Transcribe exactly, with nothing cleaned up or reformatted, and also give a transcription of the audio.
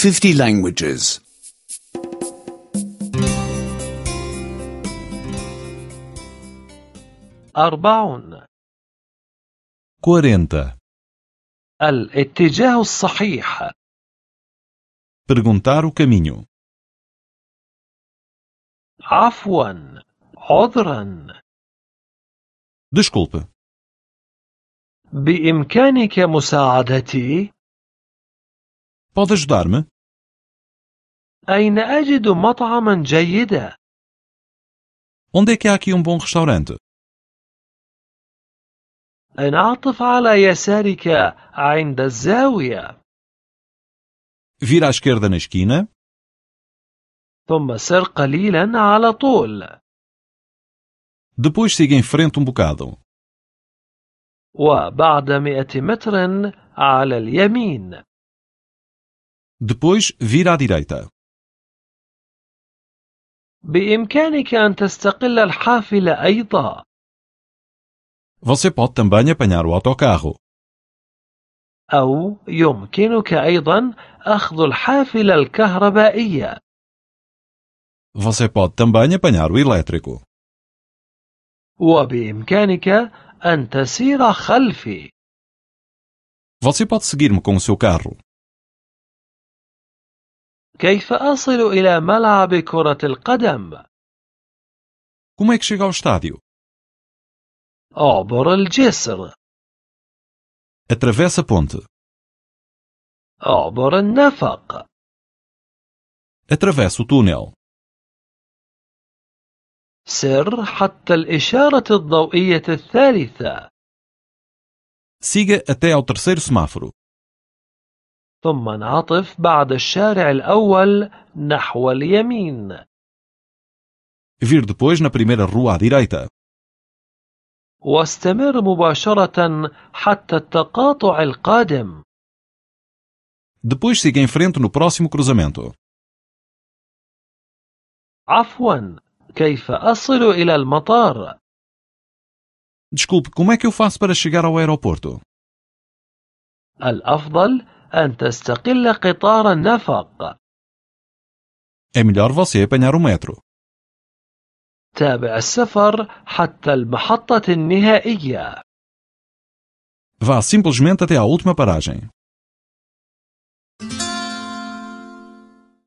fifty languages. أربعون. quarenta. الاتجاه الصحيح. Perguntar o caminho. عفوا، عذرا. Desculpe. بإمكانك مساعدتي؟ Pode ajudar-me? أين أجد مطعما جيدا؟ Onde é que há aqui um bom restaurante? انعطف على يسارك عند الزاوية. Vira à esquerda na esquina. ثم سر قليلا على طول. Depois siga em frente um bocado. وبعد مئة متر على اليمين. Depois vira à direita. بإمكانك أن تستقل الحافلة أيضا. Você pode também apanhar o autocarro. أو يمكنك أيضا أخذ الحافلة الكهربائية. Você pode também apanhar o elétrico. وبإمكانك أن تسير خلفي. Você pode seguir-me com o seu carro. كيف أصل إلى ملعب كرة القدم؟ Como é que chega ao estádio? أعبر الجسر. Atravessa a ponte. أعبر النفق. Atravessa o túnel. سر حتى الإشارة الضوئية الثالثة. Siga até ao terceiro semáforo. ثم انعطف بعد الشارع الأول نحو اليمين. Vir depois na primeira rua à direita. واستمر مباشرة حتى التقاطع القادم. Depois siga em frente no próximo cruzamento. عفوا، كيف أصل إلى المطار؟ Desculpe, como é que eu faço para chegar ao aeroporto? الأفضل أن تستقل قطار النفق. É melhor você apanhar o metro. تابع السفر حتى المحطة النهائية. Vá simplesmente até à última paragem.